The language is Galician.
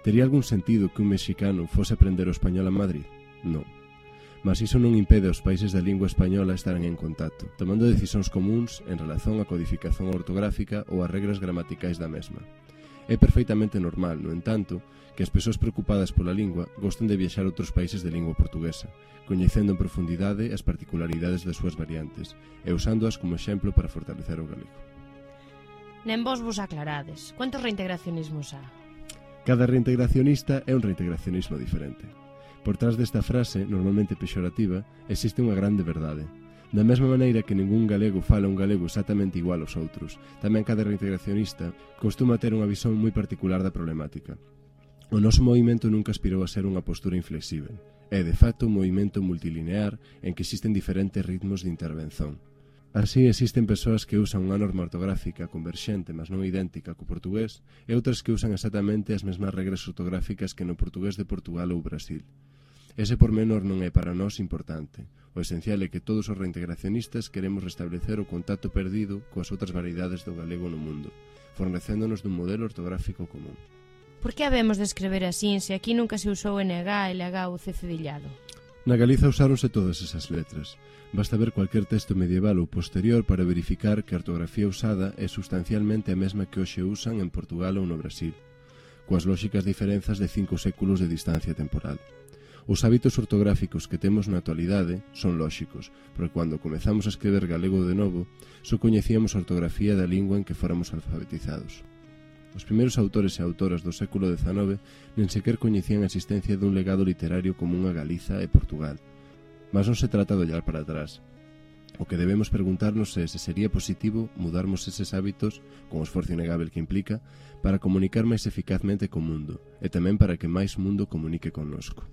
Tería algún sentido que un mexicano fose aprender o español a Madrid? Non. Mas iso non impede aos países da lingua española estaren en contacto, tomando decisións comúns en relación á codificación ortográfica ou ás regras gramaticais da mesma. É perfeitamente normal, no entanto, que as persoas preocupadas pola lingua gosten de viaxar a outros países de lingua portuguesa, coñecendo en profundidade as particularidades das súas variantes e usándoas como exemplo para fortalecer o galego. Nen vos aclarades. Quantos reintegracionismos há? Cada reintegracionista é un reintegracionismo diferente. Por trás desta frase, normalmente pexorativa, existe unha grande verdade. Da mesma maneira que ningún galego fala un galego exactamente igual aos outros, tamén cada reintegracionista costuma ter unha visión moi particular da problemática. O noso movimento nunca aspirou a ser unha postura inflexível. É, de facto, un movimento multilinear en que existen diferentes ritmos de intervención. Así, existen persoas que usan unha norma ortográfica converxente, mas non idéntica co portugués, e outras que usan exactamente as mesmas regras ortográficas que no portugués de Portugal ou Brasil. Ese pormenor non é para nós importante. O esencial é que todos os reintegracionistas queremos restablecer o contacto perdido coas outras variedades do galego no mundo, fornecéndonos dun modelo ortográfico común. Por que habemos de escrever así se aquí nunca se usou NG, LG ou C cedillado? Na Galiza usáronse todas esas letras. Basta ver cualquier texto medieval ou posterior para verificar que a ortografía usada é sustancialmente a mesma que hoxe usan en Portugal ou no Brasil, coas lóxicas diferenzas de 5 séculos de distancia temporal. Os hábitos ortográficos que temos na actualidade son lóxicos, porque cando comezamos a escrever galego de novo, só coñecíamos a ortografía da lingua en que fóramos alfabetizados. Os primeiros autores e autoras do século XIX nen sequer coñecían a existencia dun legado literario común a Galiza e Portugal. Mas non se trata de ollar para atrás. O que debemos preguntarnos é se sería positivo mudarmos eses hábitos, con o esforzo innegable que implica, para comunicar máis eficazmente co mundo, e tamén para que máis mundo comunique connosco.